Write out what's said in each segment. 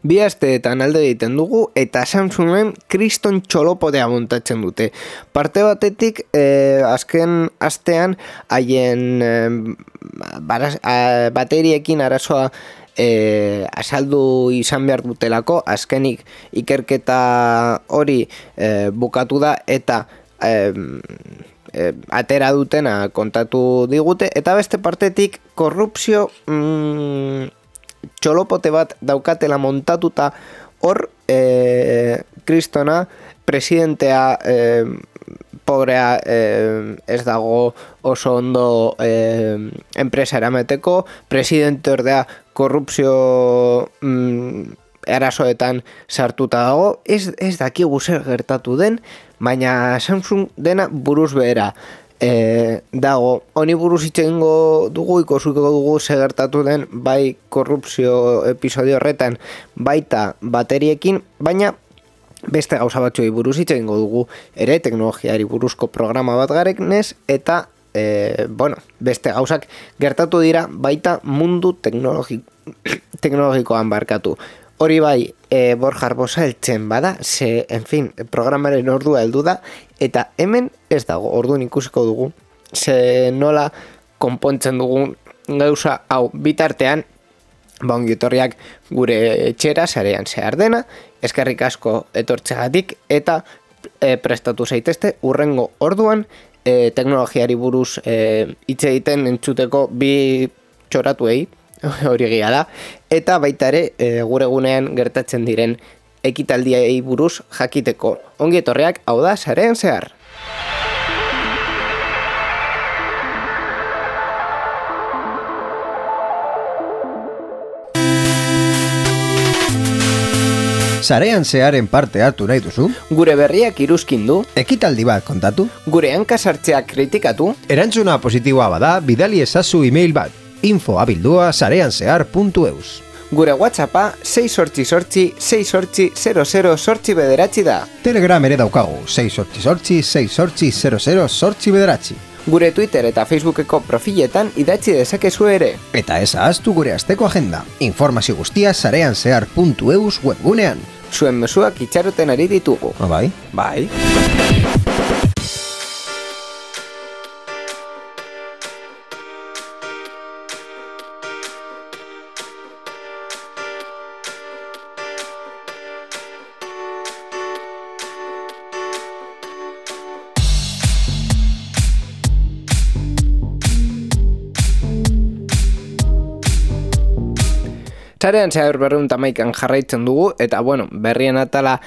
Bi asteetan alde egiten dugu eta Samsungen kriston txolopodea montatzen dute. Parte batetik, azken astean haien bateriekin arazoa azaldu izan behar dutelako, azkenik ikerketa hori bukatu da eta atera dutena kontatu digute, eta beste partetik korrupzio txolopote bat daukatela montatuta hor, kristona presidentea pobrea ez dago oso ondo enpresa eramateko, presidente ordea korrupzio arazoetan sartuta dago, ez dakigu zer gertatu den, baina Samsung dena buruz behera dago. Honi buruz hitz egingo dugu, ikusiko dugu zer gertatu den bai korrupzio episodio horretan baita bateriekin, baina beste gauza batzuei buruz hitz egingo dugu ere, teknologiari buruzko programa bat garenez, eta beste gauzak gertatu dira baita mundu teknologikoan barkatu. Hori bai, Borja Arbosa heltzen bada, en fin, programaren ordua heldu da, eta hemen ez dago, orduan ikusiko dugu, nola konpontzen dugun gauza hau bitartean, ongietorriak gure etxera, sarean zehar dena, eskerrik asko etortzegatik, eta prestatu zaitezte, urrengo orduan, teknologiari buruz hitz egiten entzuteko bi txoratuei, hori egia da, eta baita ere gure gunean gertatzen diren ekitaldiei buruz jakiteko. Ongi etorriak, hau da, sarean zehar. Sarean zearen parte hartu nahi duzu? Gure berriak iruzkindu? Ekitaldi bat kontatu? Gure hankasartzeak kritikatu? Erantzuna positiboa bada, bidali ezazu email bat. info@sareanzehar.eus. Gure WhatsAppa 688-688-00-bederatzi da. Telegram ere daukagu, 688-688-00-bederatzi. Gure Twitter eta Facebookeko profiletan idatzi dezakezu ere. Eta ez ahaztu gure asteko agenda. Informazio guztia sareanzehar.eus webgunean. Zuen mezuak itxaroten ari ditugu. Bai? Bai. Sarean zehar 211 jarraitzen dugu, eta berrien atala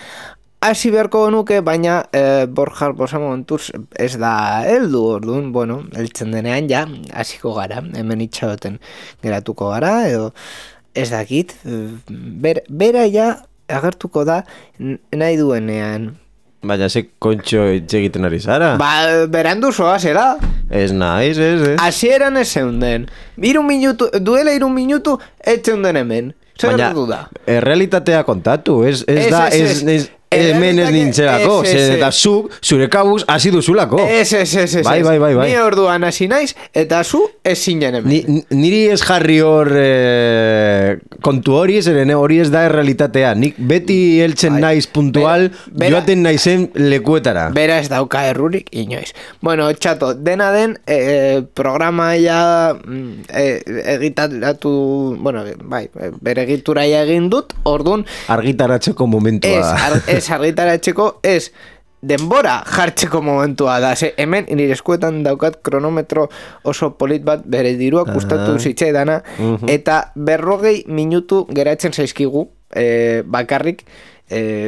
hasi beharko genuke, baina Borja Arbosa momentuz ez da heldu, orduan, heltzen denean ja, hasiko gara, hemen itxaroten geratuko gara, edo ez dakit, bera ja agertuko da nahi duenean. Baina ze kontxo egiten ari zara? Berandu zoa, zera? Ez naiz, ez. Hasieran ez zeunden. Duela 3 minutu ez zeunden hemen. Zer gertu da? Errealitatea kontatu, ez da, hemen ez nintzelako, eta zure kabuz hasi duzulako. Ez. Bai. Ni orduan hasi naiz, eta zu ez zinen hemen. Niri ez jarri hor kontu hori, zeren hori ez da errealitatea. Nik beti heltzen naiz puntual, joaten naizen lekuetara. Bera ez dauka errurik, inoiz. Txato, dena den, programa ja egitaratu, bere egitura egin dut, orduan... Argitaratzeko momentua. Ez argitaratzeko, ez denbora jartzeko momentua da. Hemen nire eskuetan daukat kronometro oso polit bat bere diruak gustatu zitzaidana, eta 40 minutu geratzen zaizkigu bakarrik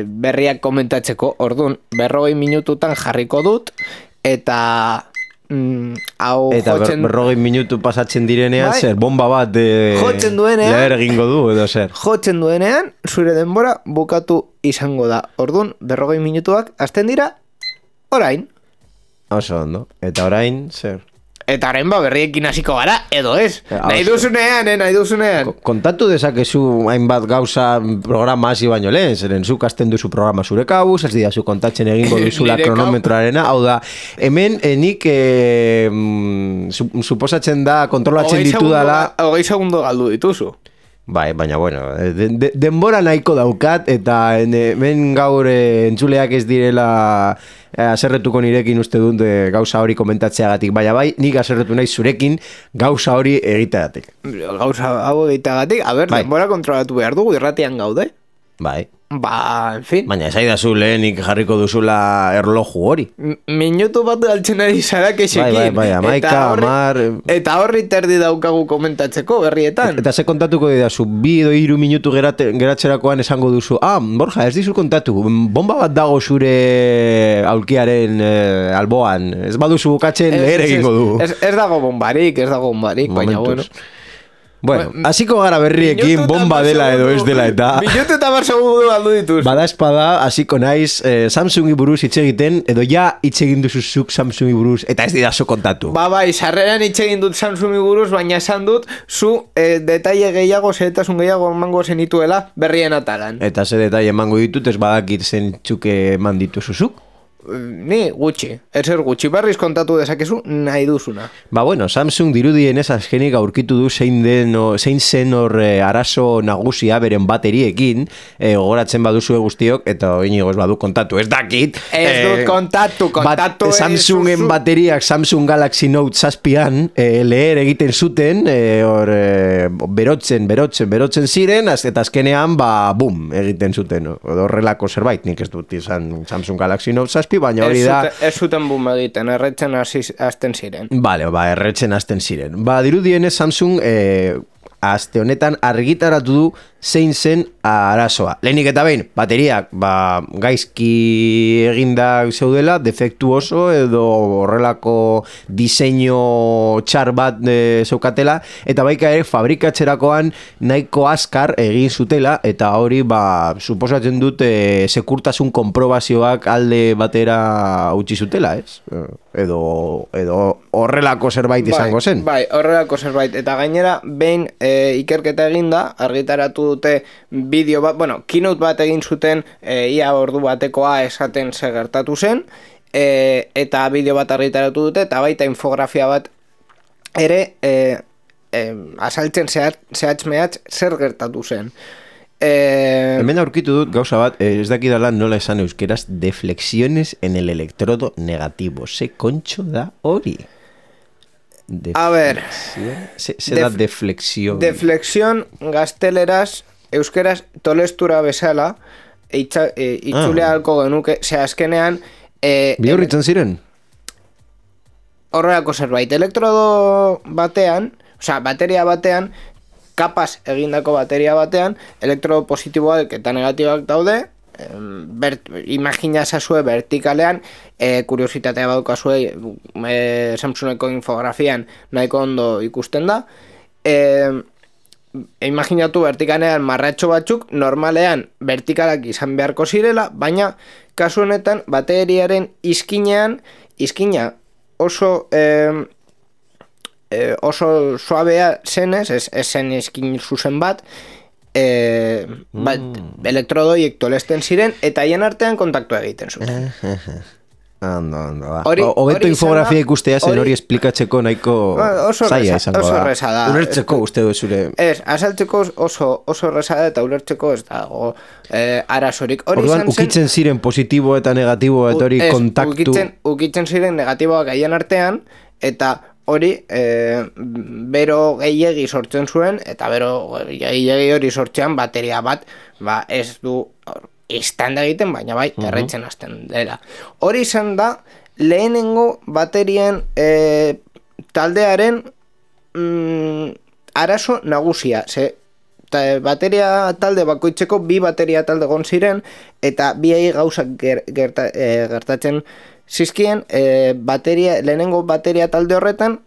berriak komentatzeko. Orduan, 40 minututan jarriko dut, eta hau Eta jotzen... 40 minutu pasatzen direnean, Bai. zer, bomba bat Jotzen duenean. leher egingo du, edo zer. Jotzen duenean, zure denbora bukatu izango da. Orduan, 40 minutuak hasten dira, orain. Oso ondo. Eta orain, zer. Eta orain berriekin hasiko gara, edo ez. Ja, Nahi oso. duzunean, nahi duzunean. Kontatu dezakezu hainbat gauza programa hasi baino lehen, zeren zuk hasten duzu programa zure kabuz, ez didazu kontatzen egingo duzula Nire kronometroarena, hau da, hemen nik suposatzen da kontrolatzen ditudala. 20 segundo galdu dituzu. Bai, baina bueno, denbora nahiko daukat eta hemen gaur entzuleak ez direla aserretuko nirekin uste dut gauza hori komentatzeagatik, baina bai, nik aserretu nahi zurekin gauza hori egiteagatik. Gauza hau egiteagatik, Bai. denbora kontrolatu behar dugu, irratian gaude. Bai. Ba, en fin. Baina esaidazu lehenik jarriko duzula erloju hori. Minutu bat galtzen ari zara kexekin. Bai, amaika, amar... Eta horri terdi daukagu komentatzeko berrietan. Eta ze kontatuko didazu, 2 edo 3 minutu geratzerakoan esango duzu, Borja, ez dizu kontatu, bomba bat dago zure aulkiaren alboan, ez baduzu bukatzen leher egingo du. Ez dago bombarik, baina bueno. Bueno, hasiko gara berriekin bomba dela edo ez dela eta... Minutu eta bar segundo galdu dituz. Bada espada, hasiko naiz Samsungi buruz hitz egiten, edo ja hitz egin duzuzuk Samsungi buruz, eta ez didazu kontatu. Bai, sarreran hitz egin dut Samsungi buruz, baina esan dut, zu detaile gehiago, zehetasun gehiago emango zenituela berrien atalan. Eta ze detaile emango ditut, ez badakit zentzuk eman dituzuzuk? Ni gutxi, ezer gutxi, berriz kontatu dezakezu nahi duzuna. Ba bueno, Samsung dirudienez azkenik aurkitu du zein zen hor arazo nagusia beren bateriekin, gogoratzen baduzue guztiok, eta inigo ez badu kontatu, ez dakit. Ez dut kontatu Samsungen bateriak Samsung Galaxy Note 7an leher egiten zuten, hor berotzen ziren, eta azkenean, bum, egiten zuten, horrelako zerbait, nik ez dut izan Samsung Galaxy Note 7, baina hori da... Ez zuten bum egiten, erretzen hasten ziren. Bale, erretzen hasten ziren. Dirudienez Samsung aste honetan argitaratu du zein zen arazoa. Lehenik eta behin, bateriak gaizki eginda zeudela, defektuoso edo horrelako diseinu txar bat zeukatela, eta baika ere fabrikatzerakoan nahiko azkar egin zutela, eta hori suposatzen dut sekurtasun konprobazioak alde batera utzi zutela, ez? Edo horrelako zerbait izango zen. Bai, horrelako zerbait. Eta gainera, behin ikerketa eginda, argitaratu dute bideo bat, keynote bat egin zuten ia ordu batekoa esaten ze gertatu zen, eta bideo bat argitaratu dute, eta baita infografia bat ere azaltzen zehatz-mehatz zer gertatu zen. Hemen aurkitu dut gauza bat, ez dakidala nola esan euskeraz, deflexiones en el electrodo negativo. Ze kontxo da hori? A ver, se da deflexión. Deflexión gazteleraz, euskeraz tolestura bezala, itzulea halko genuke, azkenean... Bihurritzen ziren? Horrelako zerbait, elektrodo batean, bateria batean, kapaz egindako bateria batean, elektrodo positiboak eta negatiboak daude, imagina esazue vertikalean, kuriositatea badukazue Samsungeko infografian nahiko ondo ikusten da, imaginatu vertikalean marratxo batzuk normalean vertikalak izan beharko zirela, baina kasu honetan bateriaren izkina oso suabea zenez, ez zen izkin zuzen bat, elektrodoiek tolesten ziren eta haien artean kontaktua egiten zuten. Hobeto infografia ikustea zen hori esplikatzeko nahiko zaila izango da. Oso erreza da. Ulertzeko uste du zure... Ez, azaltzeko oso erreza da eta ulertzeko ez dago arazorik. Orduan, ukitzen ziren positibo eta negatibo eta hori kontaktu... Ukitzen ziren negatiboak haien artean eta hori bero gehiegi sortzen zuen, eta bero gehiegi hori sortzean bateria bat ez du istanda egiten, baina bai erretzen hasten dela. Hori izan da lehenengo baterien taldearen arazo nagusia, bateria talde bakoitzeko 2 bateria talde egon ziren, eta biei gauzak gertatzen zizkien lehenengo bateria talde horretan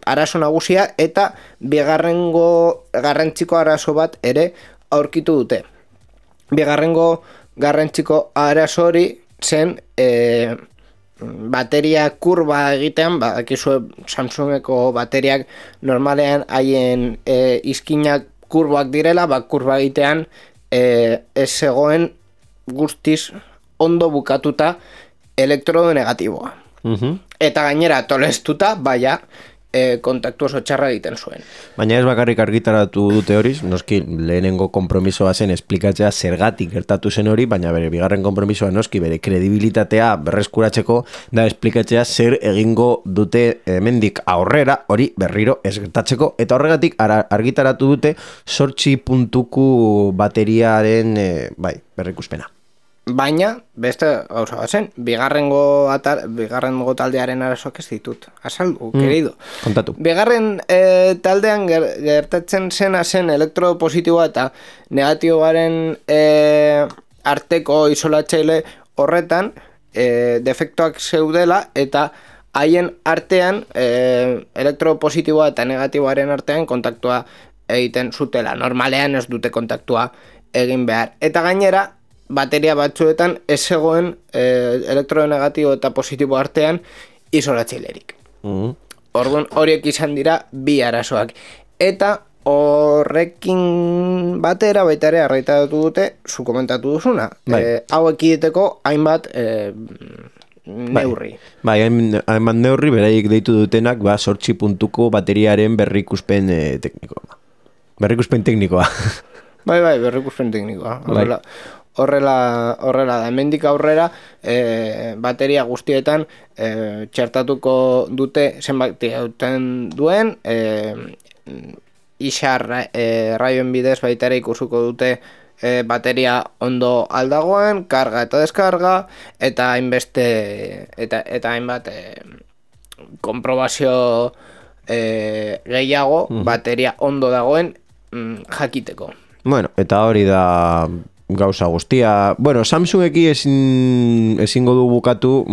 arazo nagusia eta bigarrengo garrantziko arazo bat ere aurkitu dute. Bigarrengo garrantziko arazo hori zen bateria kurba egitean, dakizue Samsungeko bateriak normalean haien izkinak kurbak direla, kurba egitean ez zegoen guztiz ondo bukatuta elektrodo negatiboa. Eta gainera tolestuta, kontaktu oso txarra egiten zuen. Baina ez bakarrik argitaratu dute hori, noski lehenengo konpromisoa zen esplikatzea zergatik gertatu zen hori, baina bere bigarren konpromisoa noski bere kredibilitatea berreskuratzeko da esplikatzea zer egingo dute hemendik aurrera hori berriro ez gertatzeko, eta horregatik argitaratu dute 8 puntuku bateriaren berrikuspena. Baina, beste gauza bat zen, bigarrengo taldearen arazoak ez ditut. Azaldu, querido. Kontatu. Bigarren taldean gertatzen zena zen elektrodo positiboa eta negatiboaren arteko isolatzaile horretan defektuak zeudela eta haien artean elektrodo positiboa eta negatiboaren artean kontaktua egiten zutela. Normalean ez dute kontaktua egin behar. Eta gainera, bateria batzuetan ez zegoen elektrodo negatibo eta positibo artean isolatzailerik. Orduan horiek izan dira bi arazoak. Eta horrekin batera baita ere arraitatu dute, zu komentatu duzuna. Hau ekideteko hainbat neurri. Hainbat neurri beraiek deitu dutenak 8 puntuko bateriaren berrikuspen teknikoa. Berrikuspen teknikoa. Berrikuspen teknikoa. Horrela da, hemendik aurrera bateria guztietan txertatuko dute zenbat duen, isar raioen bidez baita ere ikusuko dute bateria ondo aldagoen, karga eta deskarga, eta hainbat konprobazio gehiago bateria ondo dagoen jakiteko. Bueno, eta hori da gauza guztia. Bueno, Samsungeki ezingo du bukatu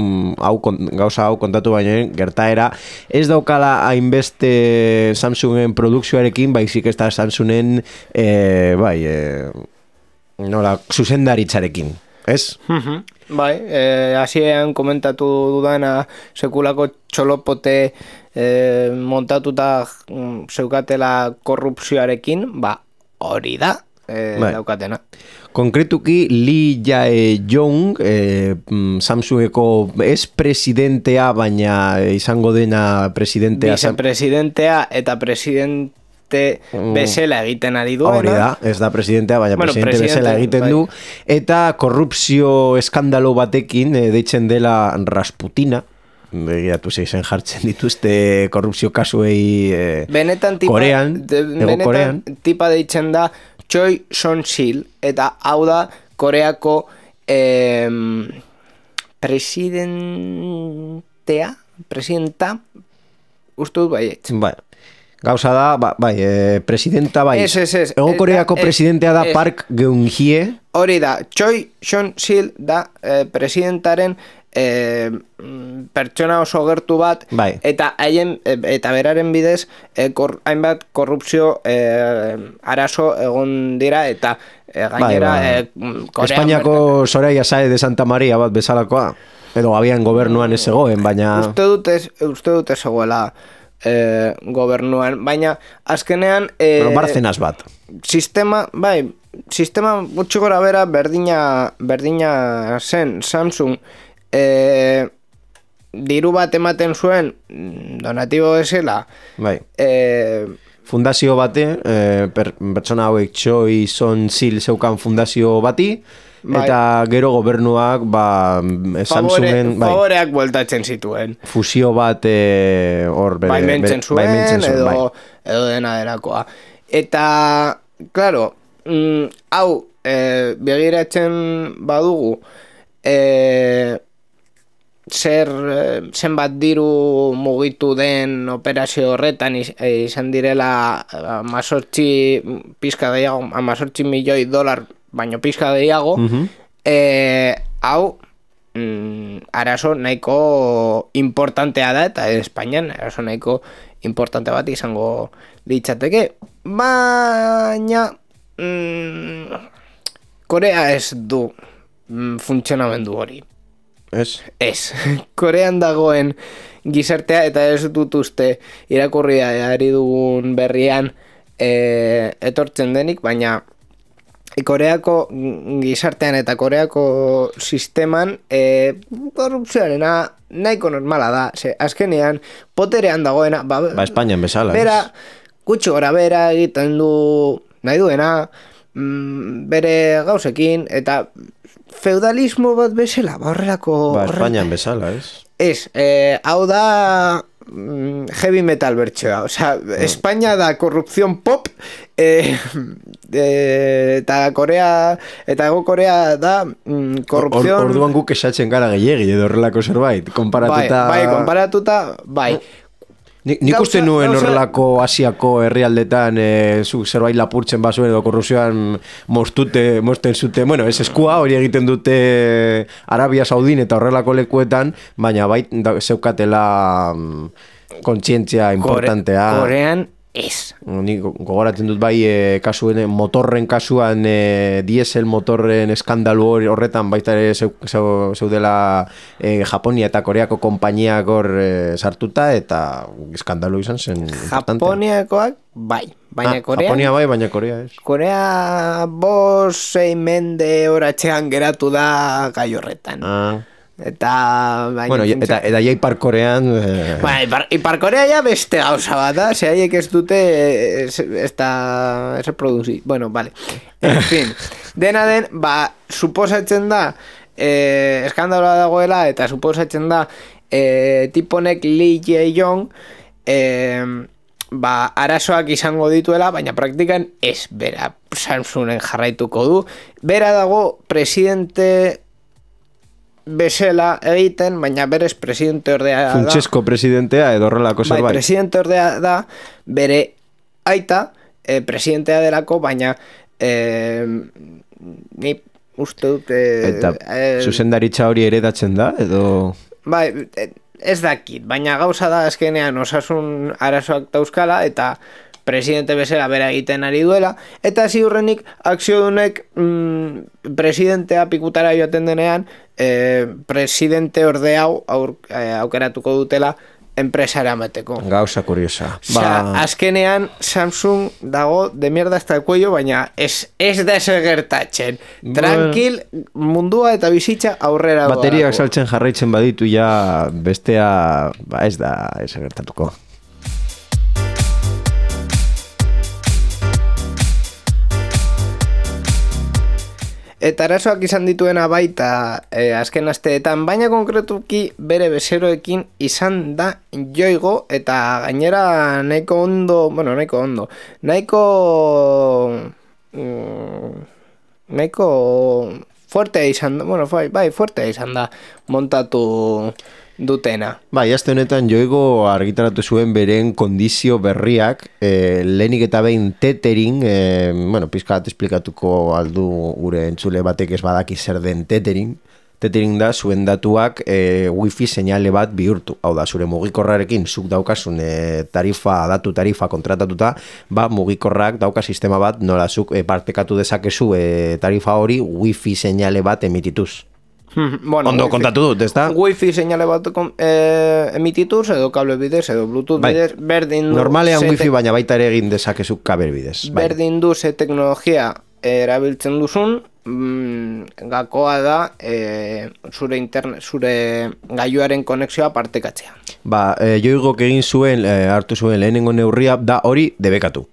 gauza hau kontatu baina gertaera ez daukala hainbeste Samsungen produkzioarekin, baizik ez da Samsungen nola zuzendaritzarekin, ez? Hasieran komentatu dudana sekulako txolopote montatuta zeukatela korrupzioarekin, hori da daukatena. Konkretuki Lee Jae-yong, Samsungeko ez presidentea, baina izango dena presidentea. Vicepresidentea eta presidente bezala egiten ari duena. Hori da, ez da presidentea, baina presidente bezala egiten du. Eta korrupzio eskandalo batekin, deitzen dela Rasputina, begiratu zeizen jartzen dituzte korrupzio kasuei Korean, benetan tipa deitzen da Choi Son-sil, eta hau da Koreako presidenta, uste dut baiet. Gauza da, presidenta bai. Ego Koreako presidentea da Park Geun-hye. Hori da, Choi Son-sil da presidentaren pertsona oso gertu bat, eta beraren bidez hainbat korrupzio arazo egon dira, eta gainera Espainiako Soraya Sáez de Santa Maria bat bezalakoa, edo abian gobernuan ez zegoen, baina uste dut ez zegoela gobernuan, baina azkenean Barcenas bat sistema gutxi gora bera berdina zen. Samsung diru bat ematen zuen donatibo bezala fundazio bate, pertsona hauek Choi Son-sil zeukan fundazio bati, eta gero gobernuak Samsungen favoreak bueltatzen zituen, fusio bat baimentzen zuen edo dena delakoa. Eta claro, hau begiratzen badugu zenbat diru mugitu den operazio horretan izan direla 18 milioi dolar baino pizka gehiago, hau arazo nahiko importantea da, eta Espainian arazo nahiko importante bat izango litzateke, baina Korea ez du funtzionamendu hori. Ez. Korean dagoen gizartea, eta ez dut uste irakurria ari dugun berrian etortzen denik, baina Koreako gizartean eta Koreako sisteman korrupzioarena nahiko normala da. Azkenean, poterean dagoena... Ba, Espainian bezala. Bera, gutxi gora bera egiten du nahi duena, bere gauzekin, eta feudalismo bat bezala, horrelako... Ba, Espainian bezala, ez? Ez, hau da heavy metal bertxoa, osea, Espainia da korrupzion pop, eta Korea, eta Ego Korea da korrupzion... Orduan guk esatzen gara gehiegi edo horrelako zerbait, konparatuta... Bai, konparatuta, bai. Nik uste nuen horrelako Asiako herrialdetan zerbait lapurtzen bazuen edo korrupzioan mosten zute, bueno, ez eskua hori egiten dute Arabia Saudin eta horrelako lekuetan, baina bai zeukatela kontzientzia importantea. Korean ez. Nik gogoratzen dut bai kasuen motorren kasuan diesel motorren eskandalu horretan baita ere zeudela Japonia eta Koreako konpainiak hor sartuta eta eskandalu izan zen importante. Japoniakoak bai, baina Korea... Japonia bai, baina Korea ez. Korea 5-6 mende horatxean geratu da gai horretan. Eta... Bueno, eta ja Ipar Korean... Ipar Korea ja beste gauza bat da, ze haiek ez dute ez reproduzi. Bueno, vale. En fin, dena den, suposatzen da eskandaloa dagoela, eta suposatzen da tiponek Lee Jae-yong arazoak izango dituela, baina praktikan ez, bera Samsungen jarraituko du. Bera dago presidente bezala egiten, baina berez presidente ordea da. Funtsezko presidentea edo horrelako zerbait. Bai, presidente ordea da, bere aita presidentea delako, baina ni uste dut... Eta zuzendaritza hori eredatzen da, edo... Bai, ez dakit, baina gauza da azkenean osasun arazoak dauzkala, eta presidente bezala bera egiten ari duela, eta ziurrenik akziodunek presidentea pikutara joaten denean, presidente orde hau aukeratuko dutela enpresara amateko. Gauza kuriosa. Azkenean Samsung dago de mierda hasta el cuello, baina ez da gertatzen. Tranquil, mundua eta bizitza aurrera doa. Bateriak saltzen jarraitzen baditu ja bestea ez da gertatuko. Eta arazoak izan dituena baita azken asteetan, baina konkretuki bere bezeroekin izan da joigo, eta gainera nahiko fuertea izan da, fuertea izan da montatu dutena. Bai, aste honetan joigo argitaratu zuen beren kondizio berriak, lehenik eta behin tethering, pizkat esplikatuko aldu gure entzule batek ez badaki zer den tethering. Tethering da zuen datuak wifi seinale bat bihurtu. Hau da, zure mugikorrarekin zuk daukasun datu tarifa kontratatuta, mugikorrak dauka sistema bat nola zuk partekatu dezakezu tarifa hori wifi seinale bat emitituz. Ondo kontatu dut, ez da? Wifi seinale bat emitituz, edo kable bidez, edo bluetooth bidez, berdin du... Normalean wifi baina baita ere egin dezakezuk kabel bidez. Berdin du ze teknologia erabiltzen duzun, gakoa da zure gailuaren konexioa partekatzea. Joigok egin zuen, hartu zuen lehenengo neurria, da hori debekatu.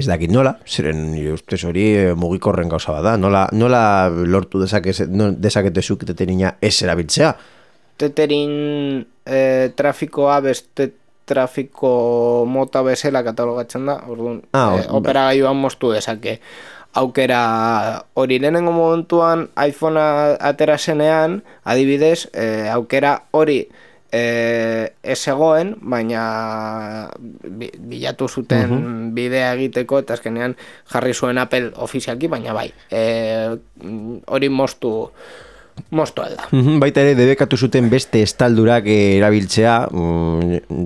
Ez dakit nola, ziren ustez hori mugikorren gauza bat da, nola lortu dezaketezuk teterina ez erabiltzea? Tethering trafikoa beste trafiko mota bezala katalogatzen da, orduan operagailuan moztu dezake. Aukera hori lehenengo momentuan iPhonea atera zenean, adibidez, aukera hori ez egoen, baina bilatu zuten bidea egiteko, eta azkenean jarri zuen Apple ofizialki, baina bai, hori moztu mosto alda. Baita ere, debekatu zuten beste estaldurak erabiltzea,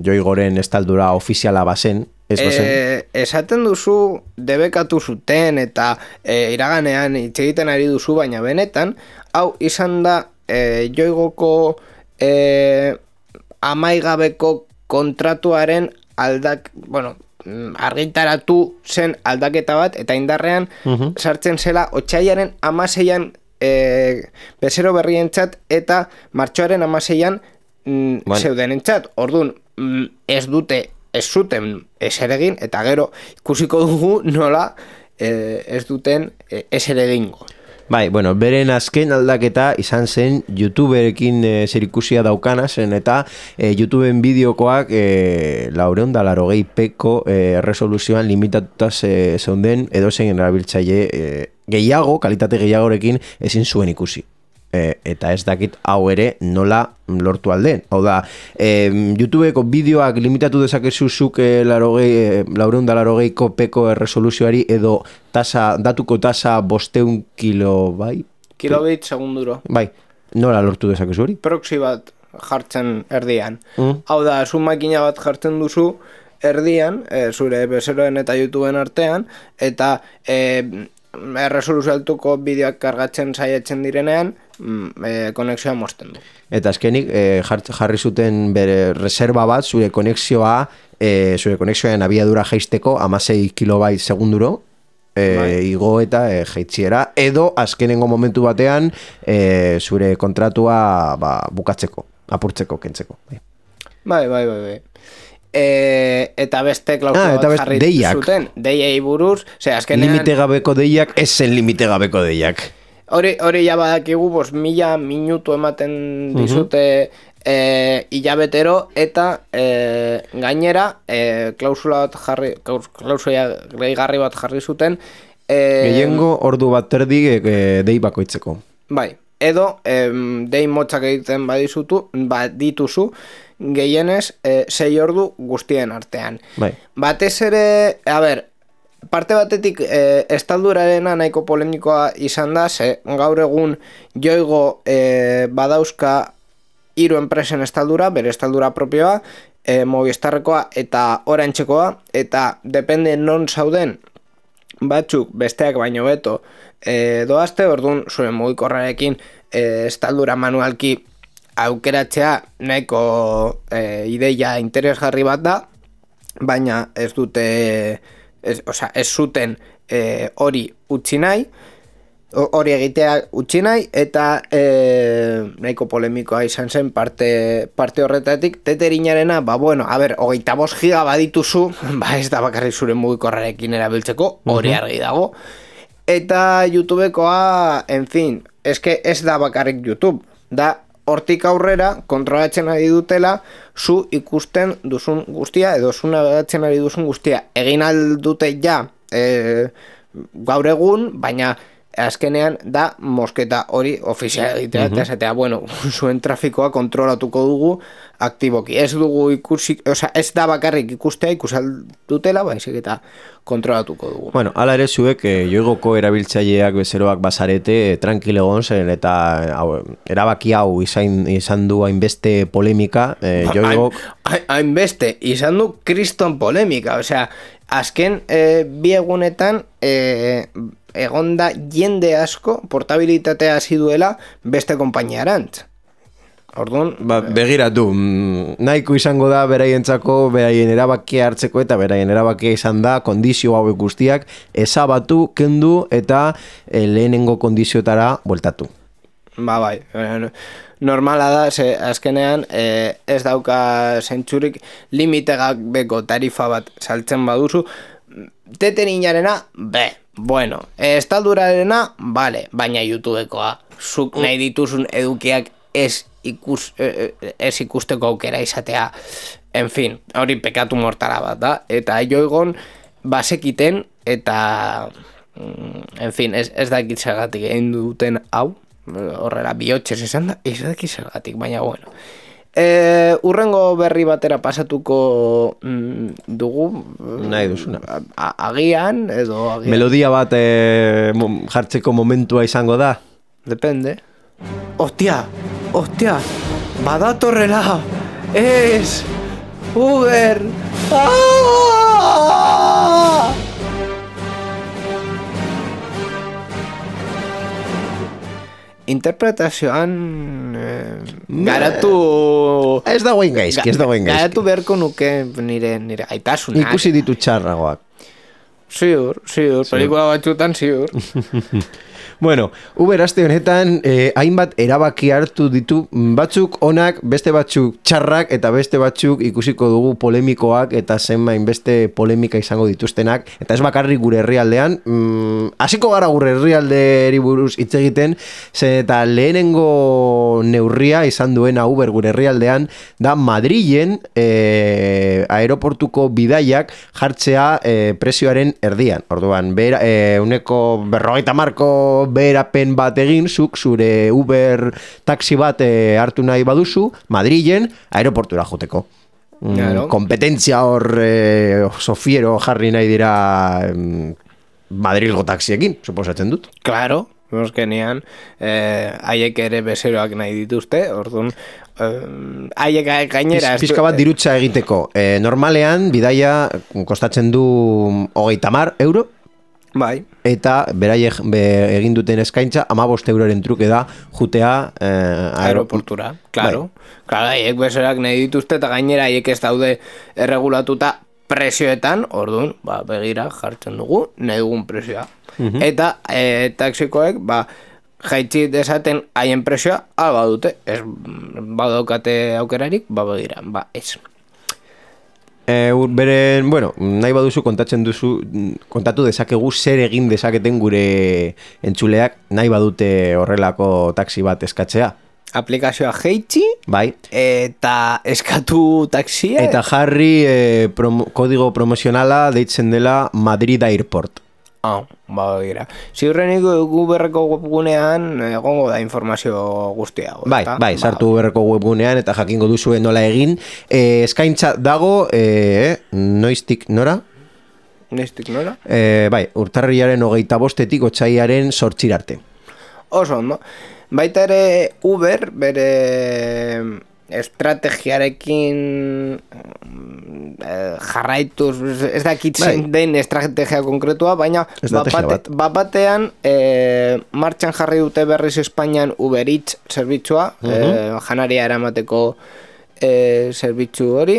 Joigoren estaldura ofiziala bazen, ez bazen? Esaten duzu debekatu zuten eta iraganean hitz egiten ari duzu, baina benetan, hau izan da Joigoko amaigabeko kontratuaren argitaratu zen aldaketa bat, eta indarrean sartzen zela otsailaren 16an bezero berrientzat eta martxoaren 16an zeudenentzat. Orduan, ez zuten ezer egin, eta gero ikusiko dugu nola ez duten ezer egingo. Bai, bueno, beren azken aldaketa izan zen YouTuberekin zerikusia daukana zen, eta YouTubeen bideokoak 480pko resoluzioan limitatuta zeunden edozein erabiltzaile gehiago, kalitate gehiagorekin ezin zuen ikusi. Eta ez dakit hau ere nola lortu alden. Hau da, YouTubeko bideoak limitatu dezakezu zuk 480ko peko resoluzioari edo datuko tasa 500 kilobit segunduro. Bai, nola lortu dezakezu hori? Proxy bat jartzen erdian. Hau da, zu makina bat jartzen duzu erdian, zure bezeroen eta YouTubeen artean, eta resoluzio altuko bideoak kargatzen saiatzen direnean, konexioa mozten du. Eta azkenik jarri zuten bere reserva bat zure konexioaren abiadura jaisteko 16 kilobait segunduro igo eta jaitziera, edo azkenengo momentu batean zure kontratua bukatzeko, apurtzeko, kentzeko. Bai. Eta beste klausula bat jarri zuten, deiei buruz, azkenean... Limite gabeko deiak, ez zen limite gabeko deiak. Hori ja badakigu, 1000 minutu ematen dizute hilabetero, eta gainera klausula gehigarri bat jarri zuten. Gehiengo ordu bat terdi dei bakoitzeko. Bai, edo dei motzak egiten badituzu, gehienez 6 ordu guztien artean. Bai. Batez ere, parte batetik estaldurarena nahiko polemikoa izan da, gaur egun Joigo badauzka 3 enpresen estaldura, bere estaldura propioa, Movistarrekoa eta Orantzekoa, eta depende non zauden batzuk besteak baino beto doazte, orduan zure mugikorrarekin estaldura manualki aukeratzea nahiko ideia interesgarri bat da, baina ez zuten hori utzi nahi, hori egitea utzi nahi, eta nahiko polemikoa izan zen parte horretatik. Teterinarena, 25 giga badituzu, ez da bakarrik zure mugikorrarekin erabiltzeko, hori argi dago. Eta YouTubekoa, ez da bakarrik YouTube, da hortik aurrera kontrolatzen ari dutela zu ikusten duzun guztia edo zu navegatzen ari duzun guztia. Egin aldute ja gaur egun, baina azkenean da mosketa hori ofiziala egitea, eta esatea, zuen trafikoa kontrolatuko dugu aktiboki. Ez dugu ikusi, ez da bakarrik ikustea ikusaldutela, baizik eta kontrolatuko dugu. Hala ere zuek Joigoko erabiltzaileak bezeroak bazarete tranquil egon zen, eta erabaki hau izan du hainbeste polemika, Joigok... Hainbeste, izan du kriston polemika, azken bi egunetan egonda jende asko portabilitatea hasi duela beste konpainiarantz. Orduan, begiratu, nahiko izango da beraientzako, beraien erabakia hartzeko, eta beraien erabakia izan da kondizio hauek guztiak ezabatu, kendu eta lehenengo kondizioetara bueltatu. Bai, normala da, azkenean ez dauka zentzurik limitegak beko tarifa bat saltzen baduzu. Teterinarena, estaldurarena, baina YouTubekoa, zuk nahi dituzun edukiak ez ikusteko aukera izatea, hori pekatu mortala bat da, eta Joigon basekiten, eta ez dakit zergatik egin duten hau, horrela bihotxez esan da, ez dakit zergatik, baina urrengo berri batera pasatuko dugu, nahi duzuna, agian edo melodia bat jartzeko momentua izango da, depende. Hostia, badatorrela. Ez, Uber. Interpretazioan garatu... Ez da guain gaizki. Garatu beharko nuke nire aitasunak. Ikusi ditu txarragoak. Ziur, pelikula batzutan ziur. Bueno, Uber aste honetan hainbat erabaki hartu ditu, batzuk onak, beste batzuk txarrak eta beste batzuk ikusiko dugu polemikoak eta zenbain beste polemika izango dituztenak, eta ez bakarrik gure herrialdean, hasiko gara gure herrialdeari buruz hitz egiten, eta lehenengo neurria izan duena Uber gure herrialdean da Madrilen aeroportuko bidaiak jartzea prezioaren erdian. Orduan, uneko 50 beherapen bat egin, zuk zure Uber taxi bat hartu nahi baduzu, Madrilen aeroportura joteko. Kompetentzia hor sofiero jarri nahi dira Madrilgo taxiekin, suposatzen dut. Claro, moskenean haiek ere bezeroak nahi dituzte, orduan haiek gainera... Pizka bat dirutza egiteko. Normalean, bidaia kostatzen du 30 euro, bai. Eta beraiek egin duten eskaintza 15 euroren truke da jutea aeroportura. Claro. Bai. Claro, haiek bezerak nahi dituzte eta gainera haiek ez daude erregulatuta prezioetan, orduan, begira jartzen dugu nahi dugun prezioa. Eta taxikoek, jaitzi desaten haien prezioa, badute, ez badaukate aukerarik, begira, ez. Beren, nahi baduzu kontatu dezakegu zer egin dezaketen gure entzuleak nahi badute horrelako taxi bat eskatzea. Aplikazioa jaitsi, bai. Eta eskatu taxia. Eta jarri kodigo promozionala deitzen dela Madrid Airport. Gira. Ziurrenik Uberreko webgunean egongo da informazio guztia. Bai, sartu Uberreko webgunean eta jakingo duzue nola egin. Eskaintza dago, noiztik nora? Noiztik nora? Bai, urtarrilaren 25-etik otsaiaren 8 arte. Oso ondo. Baita ere Uber bere estrategiarekin jarraituz, ez dakit zein den estrategia konkretua, baina batean martxan jarri dute berriz Espainian Uber Eats zerbitzua, janaria eramateko zerbitzu hori.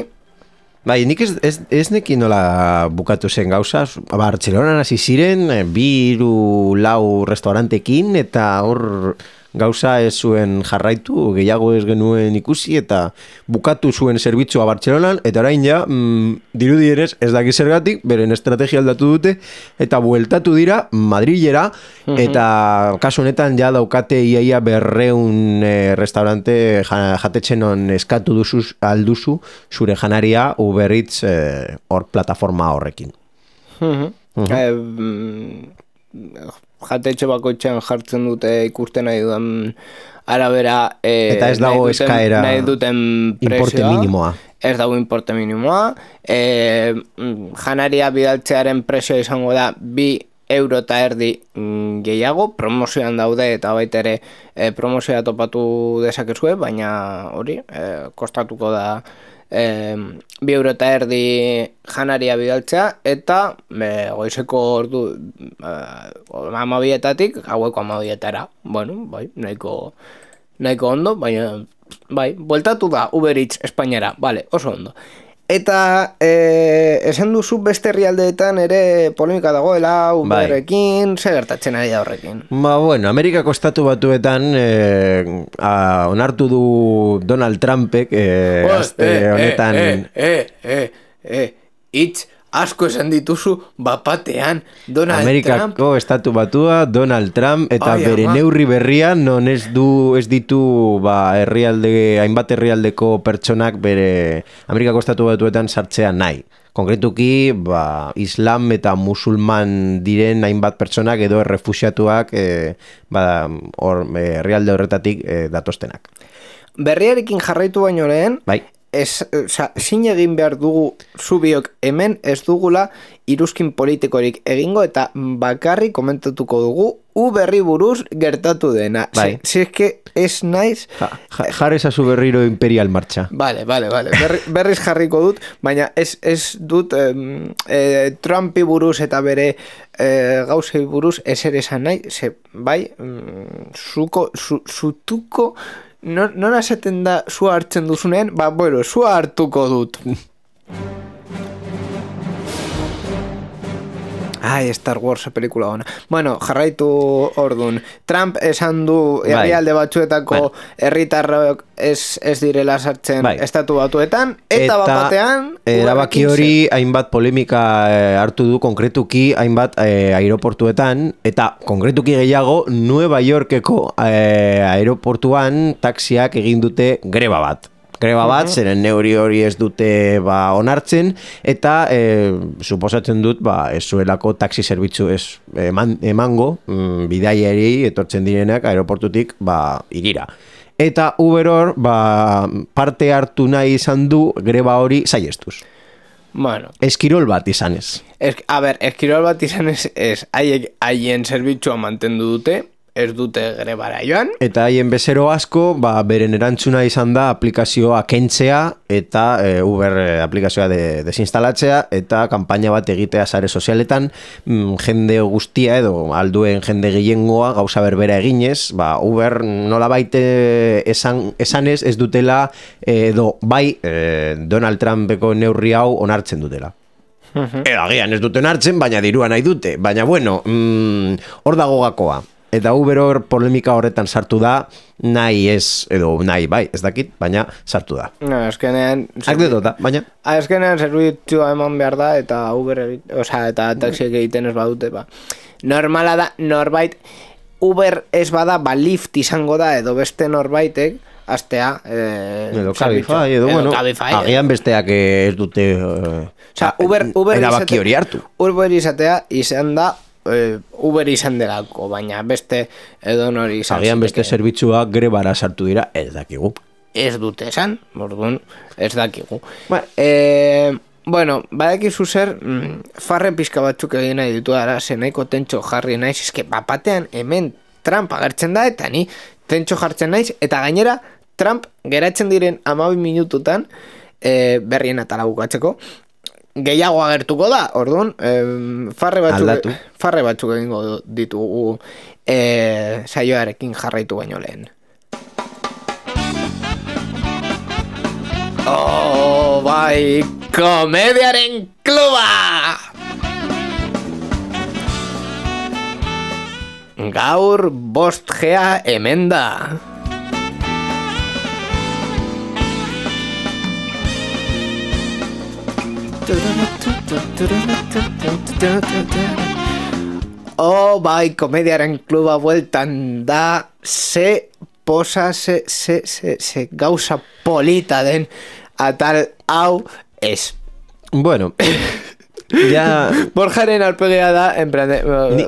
Bai, nik ez nekin nola bukatu zen gauza, Bartzelonan hasi ziren, 2-4 restaurantekin, eta hor gauza ez zuen jarraitu, gehiago ez genuen ikusi, eta bukatu zuen zerbitzua Bartzelonan, eta orain ja, dirudieres ez daki zergatik, beren estrategia aldatu dute, eta bueltatu dira Madrilera, eta kasu honetan ja daukate iaia 200 restaurante jatetzen on eskatu alduzu zure janaria Uber Eats hor plataforma horrekin. Jatetxe bakoitzean jartzen dute ikusten nahi dudan arabera eta ez dago eskaera nahi duten importe minimoa. Ez dago importe minimoa. Janaria bidaltzearen prezioa izango da 2,50 euro gehiago, promozioan daude eta baita ere promozioa topatu dezakezue, baina hori kostatuko da 2,50 euro janaria bidaltzea, eta goizeko ordu 12:00 gaueko 12:00. Bai, nahiko ondo, baina bai, bueltatu da Uber Eats Espainiara, vale, oso ondo. Eta esan duzu beste herrialdeetan ere polemika dagoela Uberrekin, zer gertatzen ari da horrekin? Amerikako estatu batuetan onartu du Donald Trumpek aste honetan... Itz, asko esan dituzu bapatean Donald Amerikako Trump. estatu batua Donald Trump eta bere neurri berrian non ez ditu hainbat herrialdeko pertsonak bere Amerikako estatu batuetan sartzea nahi. Konkretuki, Islam eta musulman diren hainbat pertsonak edo errefuxiatuak herrialde horretatik datostenak. Berriarekin jarraitu baino lehen, bai. zin egin behar dugu zubiok hemen ez dugula iruzkin politikorik egingo eta bakarrik komentatuko dugu Uberri buruz gertatu dena. Bai. Si es que ez naiz... Jarri zazu berriro imperial marcha. Vale. Berriz jarriko dut, baina ez dut Trumpi buruz eta bere gauzei buruz ezer esan nahi, bai, zutuko... Nora esaten da zua hartzen duzunean, zua hartuko dut. Star Wars pelikula ona. Bueno, jarraitu ordun. Trump esan du herrialde batzuetako herritarrok ez direla sartzen estatu batuetan, eta batean erabaki hori hainbat polemika hartu du konkretuki hainbat aeroportuetan, eta konkretuki gehiago Nueva Yorkeko aeroportuan taxiak egin dute greba bat. Zeren neuri hori ez dute onartzen, eta suposatzen dut ez zuelako taxi zerbitzu ez emango bidaiari etortzen direnak aeroportutik irira. Eta Uber hor parte hartu nahi izan du greba hori saihestuz. Bueno. Eskirol bat izanez. Eskirol bat izanez haien zerbitzua mantendu dute, ez dute grebara joan. Eta haien bezero asko, beren erantzuna izan da aplikazioa kentzea eta Uber aplikazioa desinstalatzea eta kanpaina bat egitea sare sozialetan, jende guztia edo alduen jende gehiengoa gauza berbera eginez, Uber nolabait esanez ez dutela edo Donald Trumpeko neurri hau onartzen dutela. Agian ez dute onartzen, baina dirua nahi dute. Baina bueno, hor dago gakoa. Eta Uber hor polemika horretan sartu da, nahi ez dakit, baina sartu da. Azkenean... Akdetota, baina... Azkenean zerbitzua eman behar da, eta Uber eta taxiek egiten ez badute, normala da, norbait, Uber ez bada, Lyft izango da, edo beste norbaitek, astea... Edo Cabify, edo bueno, agian besteak ez dute... erabaki hori hartu. Uber izatea izan da, Uber izan delako, baina beste edonori izan. Agian beste zerbitzuak grebara sartu dira, ez dakigu. Ez dute esan, orduan, ez dakigu. Bueno, badakizu zer, farren pizka batzuk egin nahi ditu ara, nahiko tentxo jarri naiz, eske bapatean hemen Trump agertzen da, eta ni tentxo jartzen naiz, eta gainera Trump geratzen diren 12 minututan, berrien atala bukatzeko, gehiago agertuko da, orduan, farre batzuk egingo ditugu saioarekin jarraitu baino lehen. Komediaren kluba! Gaur 5G hemen da. Komediaren kluba bueltan da, ze gauza polita den atal hau ez. Bueno, ja... Borjaren alpegea da, en plan...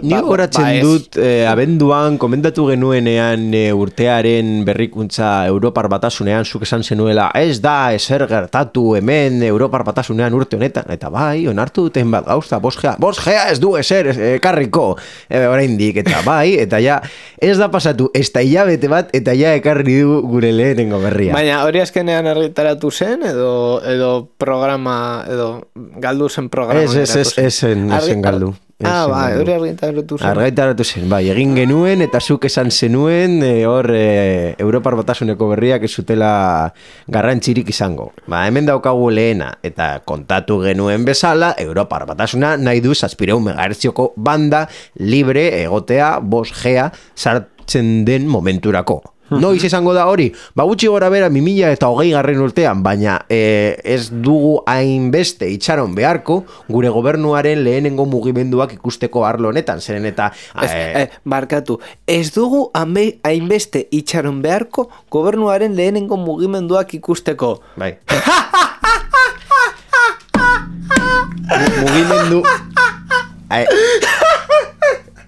Ni horatzen dut, abenduan, komentatu genuenean urtearen berrikuntza Europar Batasunean, zuk esan zenuela, ez da ezer gertatu hemen Europar Batasunean urte honetan, eta onartu duten bat gauza, 5G ez du ezer ekarriko, oraindik, eta eta ja, ez da pasatu, ez da hilabete bat, eta ja ekarri du gure lehenengo berria. Baina hori azkenean argitaratu zen, edo programa, edo galdu zen programa? Esen galdu. Hori argitaratu zen. Argitaratu zen, egin genuen eta zuk esan zenuen hor Europar Batasuneko berriak ez zutela garrantzirik izango. Hemen daukagu lehena eta kontatu genuen bezala, Europar Batasuna nahi du 700 MHz banda libre egotea 5G sartzen den momenturako. Noiz izango da hori? Gutxi gora bera 2020 urtean, baina ez dugu hainbeste itxaron beharko gure gobernuaren lehenengo mugimenduak ikusteko arlo honetan, zeren eta... Barkatu, ez dugu hainbeste itxaron beharko gobernuaren lehenengo mugimenduak ikusteko. Bai. Mugimendu...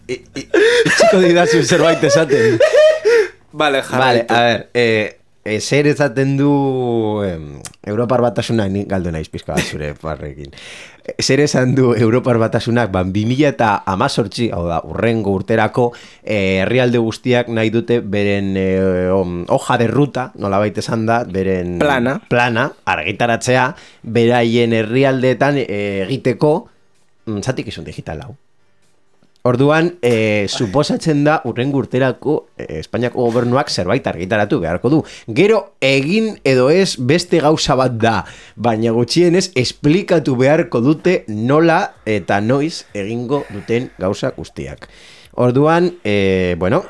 Itxiko didazu zerbait esaten. Vale, a ver, zer ezaten du Europar Batasuna, ni galdu naiz pizka bat zure parrekin. Zer esan du Europar Batasunak, 2018, hau da, urrengo urterako, herrialde guztiak nahi dute beren hoja de ruta, nolabait esan da, beren plana argitaratzea, beraien herrialdeetan egiteko zatikizun digital hau. Orduan, suposatzen da urrengo urterako Espainiako gobernuak zerbait argitaratu beharko du. Gero egin edo ez beste gauza bat da, baina gutxienez esplikatu beharko dute nola eta noiz egingo duten gauza guztiak. Orduan, bueno...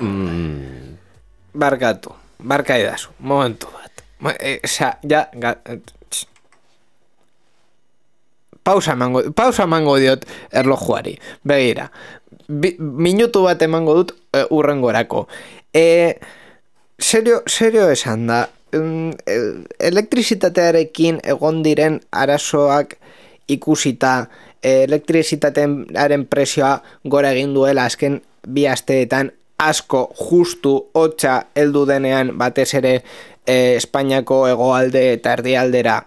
Barka edazu, momentu bat. Pausa emango diot erlojuari, begira. Minutu bat emango dut urrengorako. Serio esan da, elektrizitatearekin egon diren arazoak ikusita, elektrizitatearen presioa gora egin duela azken 2 asteetan asko justu hotza heldu denean batez ere Espainiako hegoalde eta erdialdera.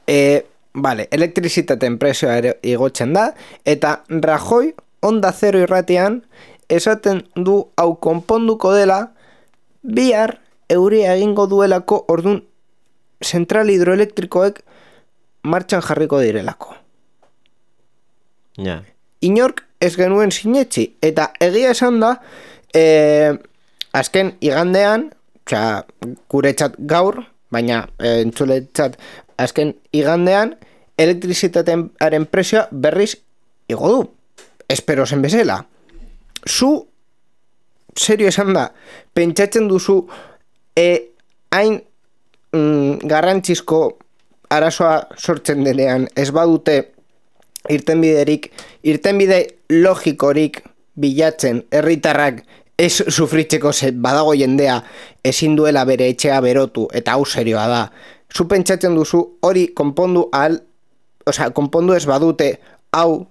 Elektrizitateen presioa igotzen da, eta Rajoy Onda Zero irratian esaten du hau konponduko dela bihar euria egingo duelako, ordun zentral hidroelektrikoek martxan jarriko direlako. Ja. Inork ez genuen sinetxi, eta egia esan da azken igandean, guretzat gaur, baina entzuletzat azken igandean, elektrizitatearen presioa berriz igo du. Espero zen bezala. Zu, serio esan da, pentsatzen duzu hain garrantzizko arazoa sortzen denean ez badute irtenbide logikorik bilatzen herritarrak ez sufritzeko badago jendea ezin duela bere etxea berotu, eta hau serioa da. Zu pentsatzen duzu hori konpondu ez badute hau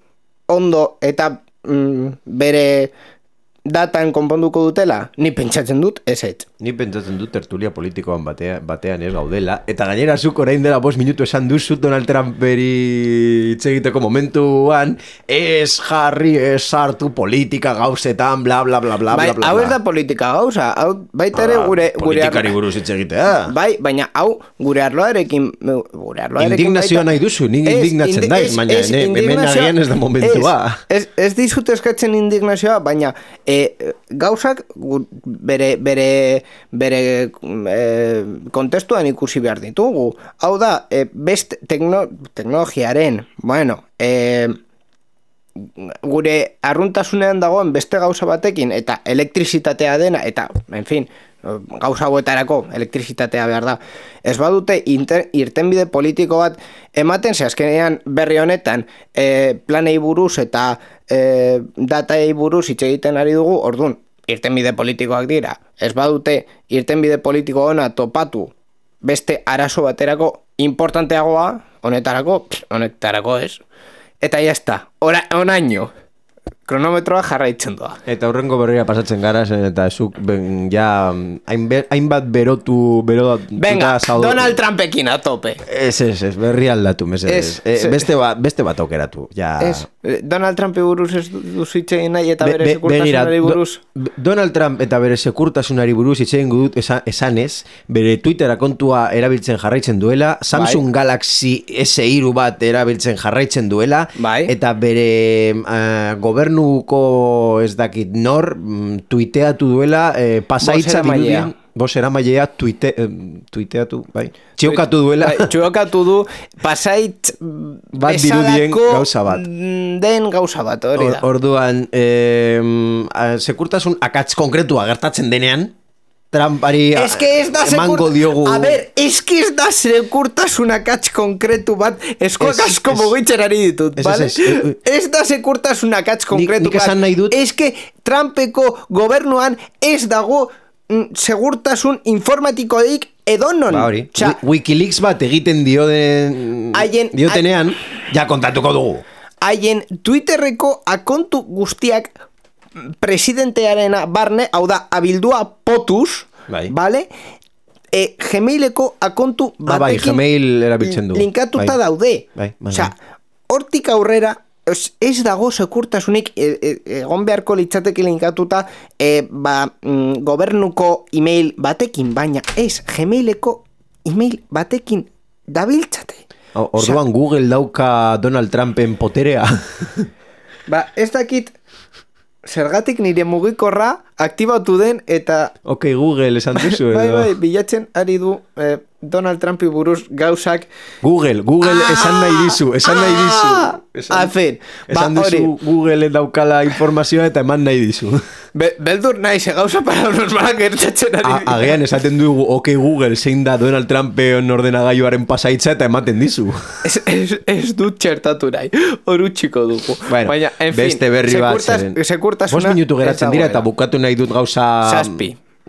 ondo eta bere datan konponduko dutela? Ni pentsatzen dut ezetz. Ni pentsatzen dut tertulia politikoan batean ez gaudela, eta gainera zuk orain dela 5 minutu esan duzu Donald Trump beri hitz egiteko momentuan ez jarri, ez sartu politika gauzetan, bla bla bla bla bla bla. Hau ez da politika gauza, hau baita ere gure politikari buruz hitz egitea. Bai, baina hau gure arloarekin indignazioa nahi duzu, nik indignatzen daiz, baina hemen agian ez da momentua. Ez dizut eskatzen indignazioa, baina gauzak bere kontestuan ikusi behar ditugu. Hau da, best teknologiaren, gure arruntasunean dagoen beste gauza batekin, eta elektrizitatea dena, eta, en fin, gauza hauetarako elektrizitatea behar da. Ez badute irtenbide politiko bat ematen, ze azkenean berri honetan planei buruz eta datai buruz hitz egiten ari dugu, ordun irtenbide politikoak dira. Ez badute irtenbide politiko ona topatu beste arazo baterako importanteagoa, honetarako ez. Eta jazta, onaino. Kronometroa jarraitzen doa. Eta hurrengo berria pasatzen gara, eta zuk ja hainbat Venga, Donald Trumpekin a tope. Ez, berri aldatu, beste bat aukeratu. Donald Trump buruz ez duzitzein nahi eta bere sekurtasunari buruz. Donald Trump eta bere sekurtasunari buruz itzein dut esanez, bere Twittera kontua erabiltzen jarraitzen duela, Samsung Galaxy S3 bat erabiltzen jarraitzen duela, eta bere gobernuko ez dakit nor tuiteatu duela pasaitza dirudien Bosera mailea tuiteatu, bai. Txiokatu duela. Txiokatu du pasait bat dirudien gauza bat. Den gauza bat, hori da. Orduan, sekurtasun akats konkretua gertatzen denean, Trumpari emango diogu. A ber, eski ez da sekurtasun akats konkretu bat eskoak asko mugitzerari ditut, vale? Ez da sekurtasun akats konkretu bat. Nik esan nahi dut. Eske Trumpeko gobernuan ez dago segurtasun informatikoik edonon. Wikileaks bat egiten diotenean, ja kontatuko dugu. Haien Twitterreko akontu guztiak presidentearena barne, hau da, abildua POTUS, vale? Gmaileko akontu bai, batekin Gmail erabiltzen du. linkatuta daude. Bai. Osea, hortik aurrera ez dago sekurtasunik egon beharko litzateke linkatuta gobernuko email batekin, baina ez Gmaileko email batekin dabiltzate. Orduan Google dauka Donald Trumpen poterea. Ez dakit zergatik nire mugikorra aktibatu den eta... Ok, Google esan duzu edo. Bai, bilatzen ari du Donald Trumpi buruz gauzak... Google esan nahi dizu. Esan duzu Google daukala informazioa eta eman nahi dizu. Beldur nahi, ze gauza paranormalak gertatzen ari dira. Agian esaten dugu, ok, Google, zein da Donald Trumpen ordenagailuaren pasaitza eta ematen dizu. Ez dut txertatu nahi, hor utxiko dugu. Bueno, baina, en fin, beste berri bat zeren. sekurtasuna... 5 minutu geratzen dira eta bukatu nahi dut gauza...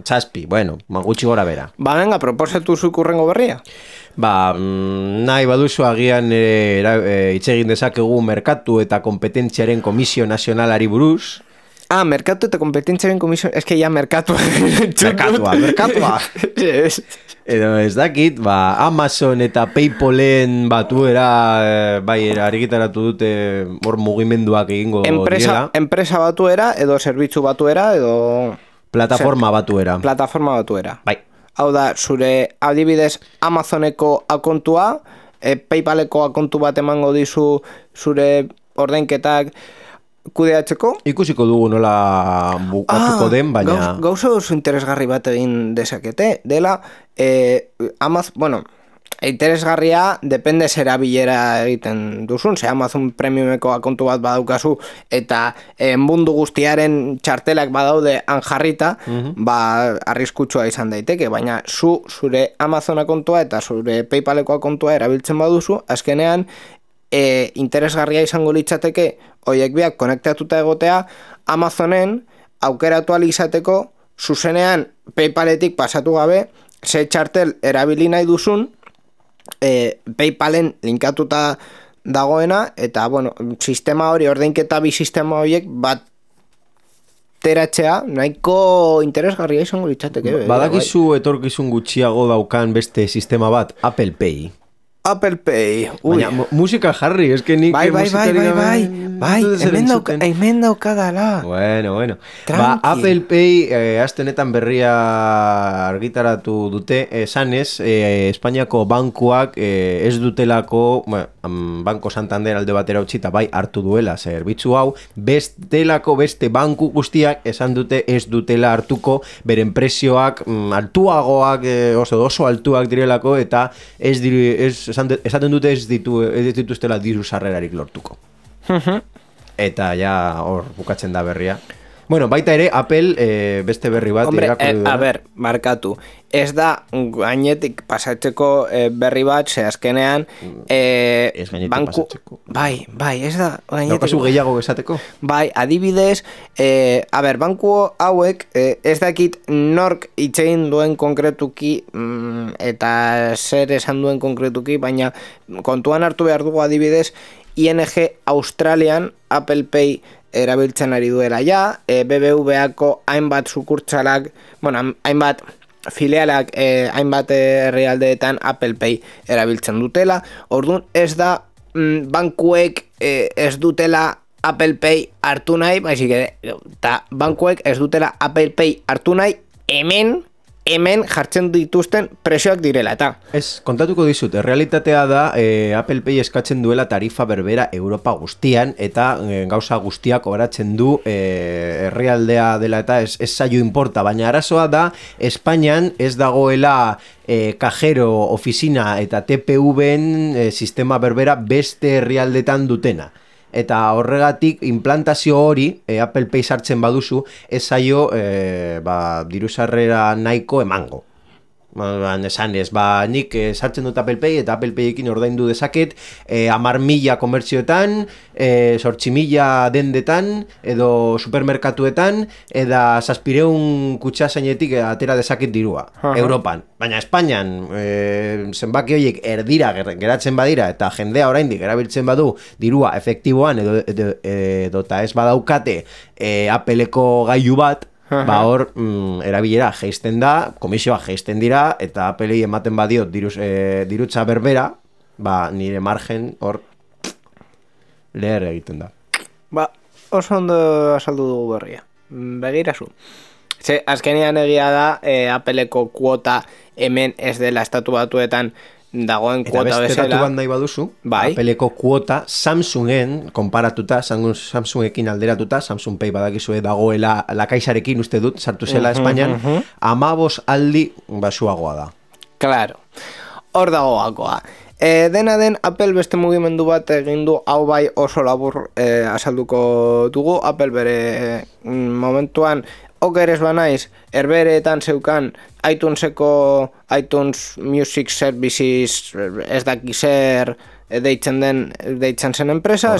Zazpi, bueno, gutxi gora bera. Venga, proposatu zuk urrengo berria. Nahi baduzu agian hitz egin dezakegu merkatu eta kompetentziaren komisio nazionalari buruz. Merkatu eta kompetentziaren komisio... Ez que ya merkatua. Merkatua. Edo ez dakit, Amazon eta Paypalen batuera argitaratu dute hor mugimenduak egingo direla. Enpresa batuera edo zerbitzu batuera edo... Plataforma batuera. Bai. Hau da, zure adibidez Amazoneko akontua, Paypaleko akontu bat emango dizu zure ordainketak kudeatzeko. Ikusiko dugu nola bukatuko den, baina... Gauza oso interesgarri bat egin dezakete, dela, interesgarria depende zera bilera egiten duzun, ze Amazon Premiumeko akontu bat badaukazu eta mundu guztiaren txartelak badaude anjarrita, arriskutsua izan daiteke, baina zure Amazon akontua eta zure Paypaleko akontua erabiltzen baduzu, azkenean interesgarria izango litzateke horiek biak konektatuta egotea Amazonen aukeratu izateko zuzenean Paypaletik pasatu gabe ze txartel erabili nahi duzun Paypalen linkatuta dagoena eta sistema hori, ordainketa bi sistema horiek bateratzea nahiko interesgarria izango litzateke. Badakizu etorkizun gutxiago daukan beste sistema bat, Apple Pay. Apple Pay. Baina musika jarri, eske nik hemen daukadala. Bueno. Apple Pay aste honetan berria argitaratu dute, esanez, Espainiako bankuak ez dutelako, Banco Santander alde batera utzi eta bai hartu duela zerbitzu hau, beste banku guztiak esan dute ez dutela hartuko beren prezioak altuagoak, oso altuak direlako eta esaten dute ez dituztela diru sarrerarik lortuko. Eta ja hor bukatzen da berria. Bueno, baita ere, Apple beste berri bat... markatu. Ez da gainetik pasatzeko berri bat, ze azkenean... Ez gainetik pasatzeko. Bai, ez da gainetik... Daukazu gehiago esateko? Bai, adibidez, banku hauek, ez dakit nork itxein duen konkretuki, eta zer esan duen konkretuki, baina kontuan hartu behar dugu adibidez, ING Australian Apple Pay erabiltzen ari duela ja, BBVako hainbat sukurtsalak, hainbat filialak, hainbat herrialdeetan Apple Pay erabiltzen dutela. Orduan ez da bankuek ez dutela Apple Pay hartu nahi, baizik eta bankuek ez dutela Apple Pay hartu nahi hemen jartzen dituzten presioak direla eta. Ez, kontatuko dizut, realitatea da Apple Pay eskatzen duela tarifa berbera Europa guztian eta gauza guztiak obratzen du herrialdea dela eta ez zaio importa, baina arazoa da Espainian ez dagoela kajero, ofizina eta TPV-en sistema berbera beste herrialdetan dutena. Eta horregatik implantazio hori Apple Pay sartzen baduzu ez zaio diru sarrera nahiko emango. Esanez, nik sartzen dut Apple Pay eta Apple Payekin ordaindu dezaket 10.000 komertzioetan, 8.000 dendetan edo supermerkatuetan eta 700 kutsasainetik atera dezaket dirua, Europan. Baina Espainian zenbaki horiek erdira geratzen badira eta jendea oraindik erabiltzen badu dirua efektiboan edo eta ez badaukate Appleko gailu bat, ba hor erabilera jaisten da, komisioa jaisten dira, eta Applei ematen badiot dirutza berbera, ba nire margen hor leher egiten da. Ba, oso ondo azaldu dugu berria. Begirazu. Ze, azkenean egia da, Appleko kuota hemen ez dela estatu batuetan dagoen kuota bezala. Eta beste datu bat nahi baduzu, bai. Appleko kuota Samsungen konparatuta, Samsungekin alderatuta, Samsung Pay badakizue dagoela lakaisarekin uste dut, sartu zela Espainian, 15 aldi basuagoa da. Claro, hor dago gakoa. Dena den, Apple beste mugimendu bat egin du, hau bai oso labur azalduko dugu. Apple bere momentuan okeres banaiz, herbereetan zeukan iTunes Music Services ez daki zer deitzen zen enpresa,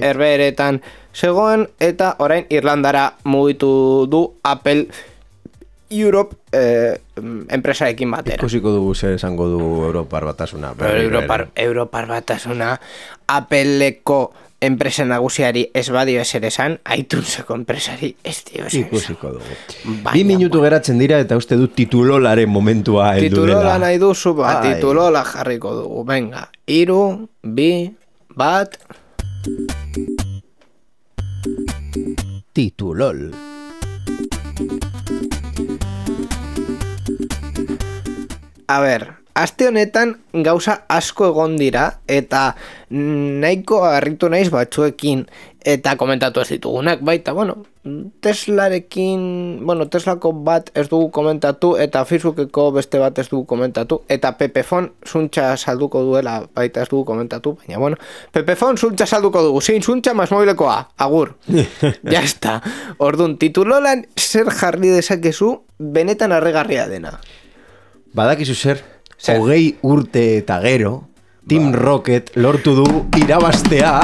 herbereetan zegoen, eta orain Irlandara mugitu du Apple Europe enpresarekin batera. Ikusiko dugu zer esango du Europar Batasuna. Europar Batasuna Appleko enpresa nagusiari ez badio ezer esan, iTuneseko enpresari ez dio ezer esan. Ikusiko dugu. 2 minutu geratzen dira eta uste dut titulolaren momentua heldu dela. Titulola nahi duzu, titulola jarriko dugu. Venga, 3, 2, 1... Titulol. A ber, aste honetan gauza asko egon dira eta nahiko harritu naiz batzuekin eta komentatu ez ditugunak baita, Teslako bat ez dugu komentatu eta Facebookeko beste bat ez dugu komentatu eta Pepefon zuntza salduko duela baita ez dugu komentatu, baina Pepefon zuntza salduko dugu, zein zuntza masmobilekoa, agur. Ya está. Orduan, titulolan zer jarri dezakezu benetan harrigarria dena. Badakizu zer, 20 urte eta gero, Team Rocket lortu du irabaztea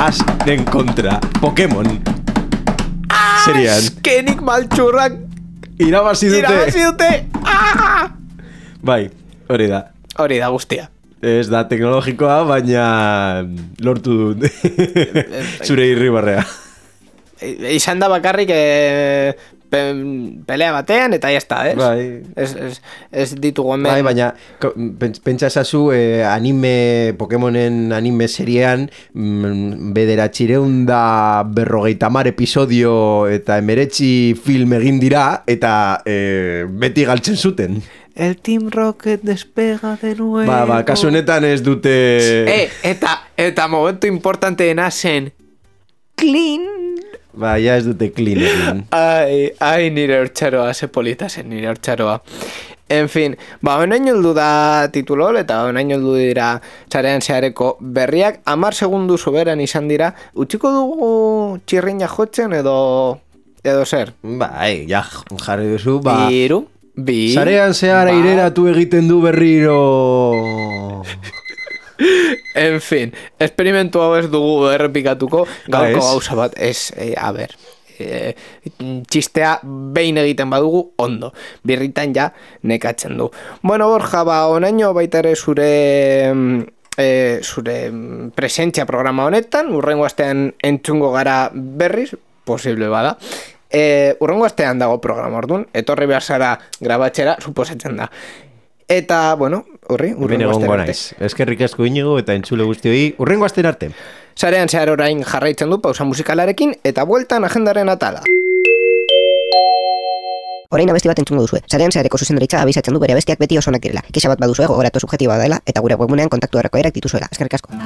Asken kontra Pokemon. Serian. Azkenik maltxurrak irabazi dute. Bai, hori da. Hori da guztia. Ez da teknologikoa, baina lortu dut zure irribarrea. Izan da bakarrik pelea batean eta ya está, Bai. Ez ditugu hemen. Bai, baina pentsa esazu Pokemonen anime seriean 950 episodio eta 19 film egin dira eta beti galtzen zuten. El Team Rocket despega de nuevo. Ba, kasu honetan ez dute... Eta momentu importanteena zen clean. Ba, ja ez dute clean egin. Ai, nire hortxaroa, ze polita zen nire hortxaroa. En fin, honaino heldu da titulol eta honaino heldu dira sarean zehareko berriak. 10 segundu soberan izan dira. Utziko dugu txirrina jotzen edo zer? Bai, ja, jarri duzu, Iru, bi... Sarean zehara ireratu egiten du berriro... En fin, esperimentu hau ez dugu errepikatuko, gaurko gauza bat, txistea behin egiten badugu, ondo, birritan ja nekatzen du. Borja, onaino baita ere zure presentzia programa honetan, urrengo astean entzungo gara berriz, posible bada. Urrengo astean dago programa orduan, etorri behar zara grabatxera, suposatzen da. Eta, urrengo astean arte. Eskerrik asko Inigo eta entzule guztioi, urrengo astean arte. Sarean zehar orain jarraitzen du pausa musikalarekin eta bueltan agendaren atala. Orain abesti bat entzungo duzue. Sarean zehareko zuzendaritza abisatzen du bere abestiak beti osonak direla. Kexa bat baduzue gogoratu subjektiboa dela eta gure webgunean kontaktu erreko erak dituzuela. Eskerrik asko.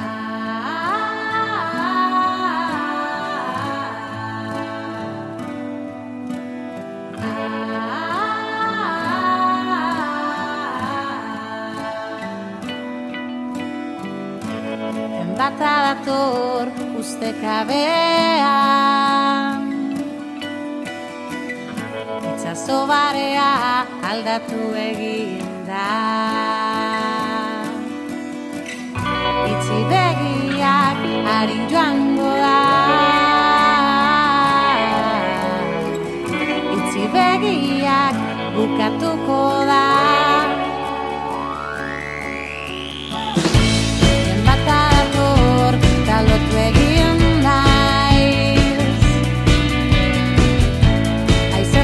Bata dator ustekabean, itxaso barea aldatu egin da. Itzi begiak harin joango da, itzi begiak bukatuko da. Lotu egin naiz, aiza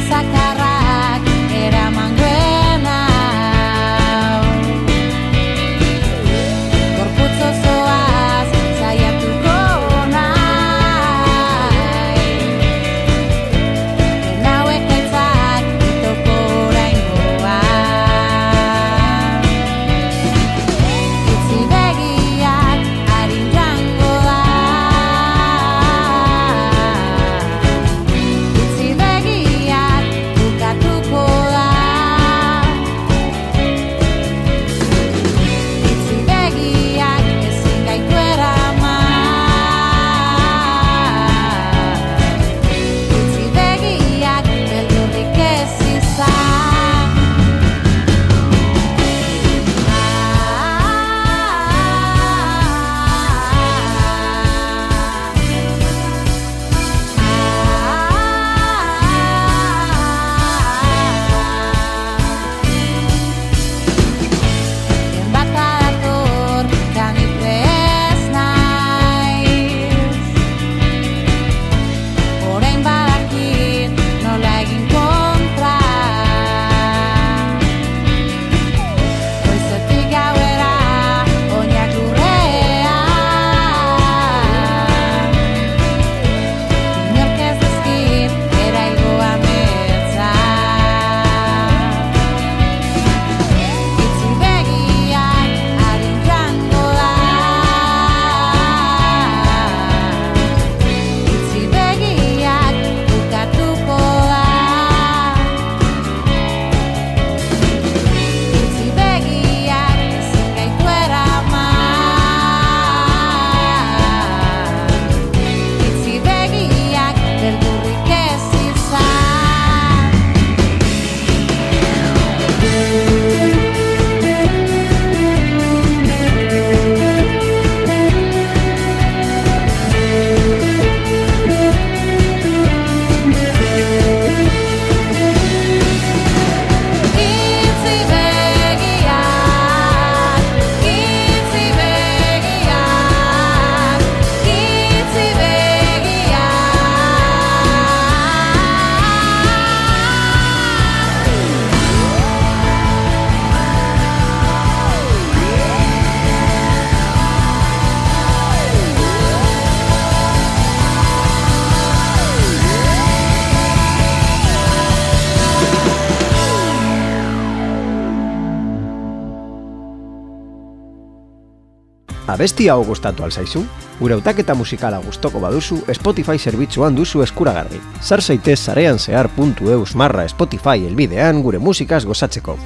Abesti hau gustatu alzaizu? Gure hautaketa musikala gustoko baduzu Spotify zerbitzuan duzu eskuragarri. Sar zaitez sareanzehar.eus/Spotify helbidean gure musikaz gozatzeko.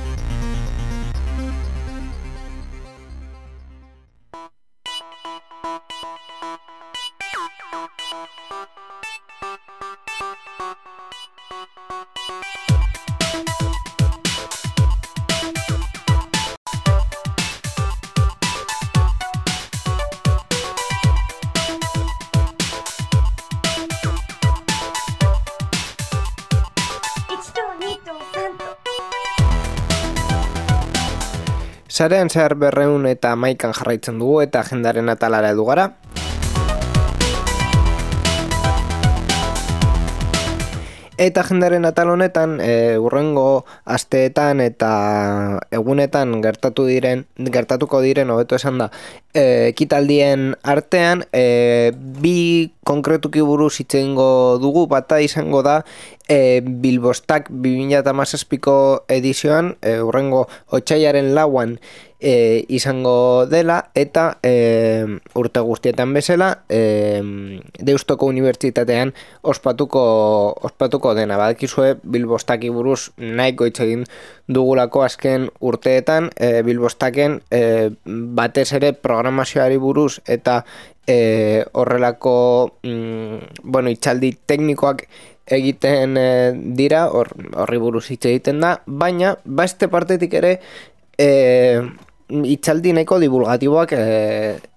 Sarean zehar 211 jarraitzen dugu eta agendaren atalara edu gara. Eta agendaren atal honetan urrengo asteetan eta egunetan gertatuko diren hobeto esan da ekitaldien artean bi konkretuki buruz hitz egingo dugu. Bata izango da Bilbostak 2017ko edizioan urrengo otsailaren 4an izango dela eta urte guztietan bezala Deustoko Unibertsitatean ospatuko dena. Badakizue Bilbostaki buruz nahiko hitz egin dugulako azken urteetan Bilbostaken batez ere programazioari buruz eta horrelako hitzaldi teknikoak egiten dira, horri buruz hitz egiten da, baina beste partetik ere hitzaldi nahiko divulgatiboak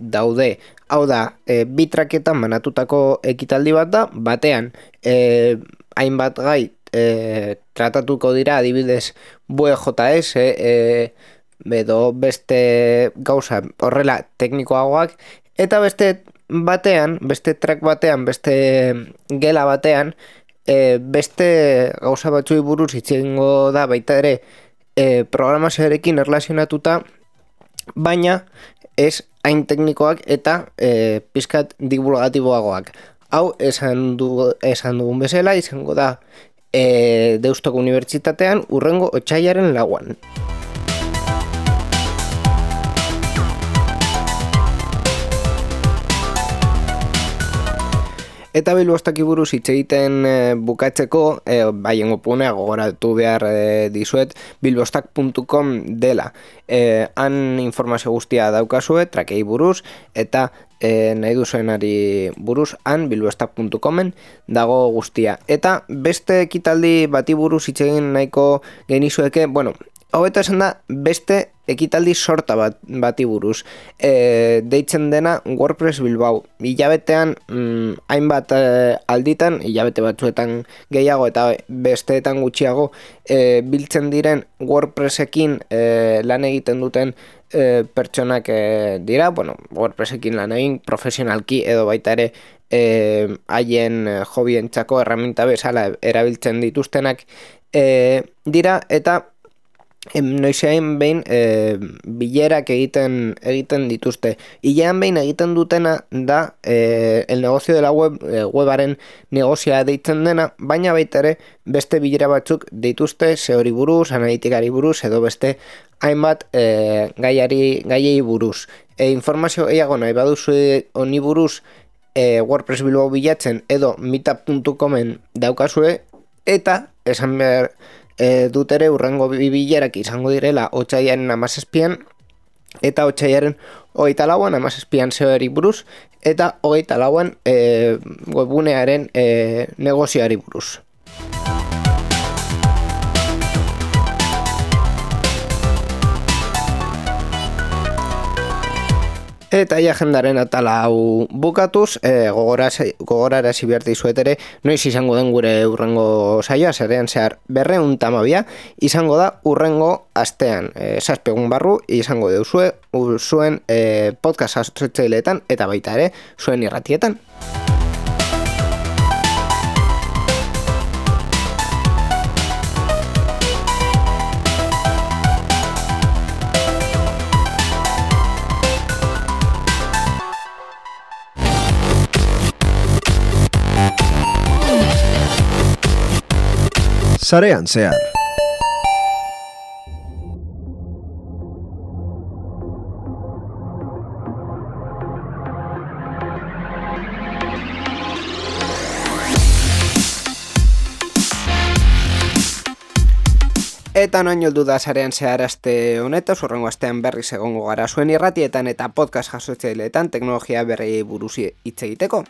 daude. Hau da, bi traketan banatutako ekitaldi bat da, batean hainbat gai tratatuko dira, adibidez VJS edo beste gauza horrela teknikoagoak, eta beste track batean, beste gela batean, beste gauza batzuei buruz hitz egingo da baita ere programazioarekin erlazionatuta, baina ez hain teknikoak eta pizkat divulgatiboagoak. Hau esan dugun bezala izango da Deustoko Unibertsitatean urrengo otsailaren 4an. Eta Bilbostaki buruz hitz egiten bukatzeko, baiengo punea gogoratu behar dizuet, bilbostak.com dela. Han informazio guztia daukazue, trakei buruz, eta nahi duzuenari buruz, han bilbostak.comen dago guztia. Eta beste ekitaldi bati buruz hitz egin nahiko genizueke, hobeto esan da beste ekitaldi sorta bati buruz. Deitzen dena WordPress Bilbao. Hilabetean hainbat alditan, hilabete batzuetan gehiago eta besteetan gutxiago biltzen diren WordPressekin lan egiten duten pertsonak dira. WordPressekin lan egin profesionalki edo baita ere haien hobientzako erraminta bezala erabiltzen dituztenak dira, eta noizean behin bilerak egiten dituzte. Hilean behin egiten dutena da el negocio de la webaren negozioa deitzen dena, baina baita ere beste bilera batzuk dituzte SEOri buruz, analitikari buruz edo beste hainbat gaiei buruz. Informazio gehiago nahi baduzu honi buruz WordPress Bilbao bilatzen edo meetup.comen daukazue, eta esan behar dut ere urrengo bilerak izango direla otsailaren 17an eta otsailaren 24an 17an SEOri buruz eta 24an webgunearen negozioari buruz. Eta agendaren atala hau bukatuz, gogorarazi behar dizuet ere, noiz izango den gure urrengo saioa, Sarean zehar 212 izango da urrengo astean. 7 egun barru izango deuzue zuen podcast asoziatzaileetan eta baita ere zuen irratietan. Sarean zehar. Eta noin heldu da sarean zehar aste honetaz, hurrengo astean berriz egongo gara zuen irratietan eta podcast jasotzaileetan teknologia berriei buruz hitz egiteko.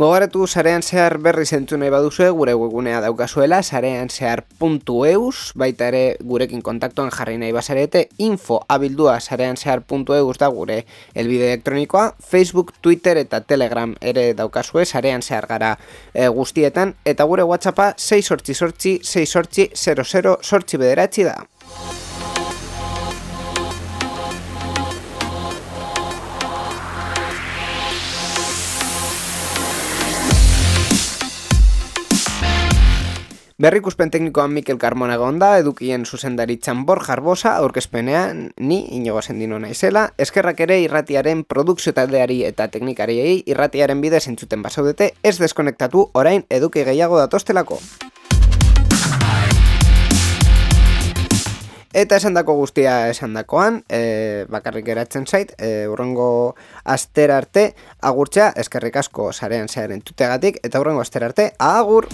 Gogoratu sarean zehar berriz entzun nahi baduzue, gure webgunea daukazuela, sareanzehar.eus, baita ere gurekin kontaktuan jarri nahi bazarete, info@sareanzehar.eus da gure helbide elektronikoa, Facebook, Twitter eta Telegram ere daukazue, sarean zehar gara guztietan, eta gure WhatsAppa 688-688-00-9 da. Berrikuspen teknikoan Mikel Carmona egonda, edukien zuzendaritzan Borja Arbosa, aurkezpenean ni Inigo Sendino naizela, eskerrak ere irratiaren produkzio taldeari eta teknikariei irratiaren bidez entzuten basaudete, ez deskonektatu orain eduki gehiago datostelako. Eta esandako guztia esandakoan, bakarrik geratzen zait, hurrengo astera arte agurtzea, eskerrik asko sarean zehar entzuteagatik, eta hurrengo astera arte, agur!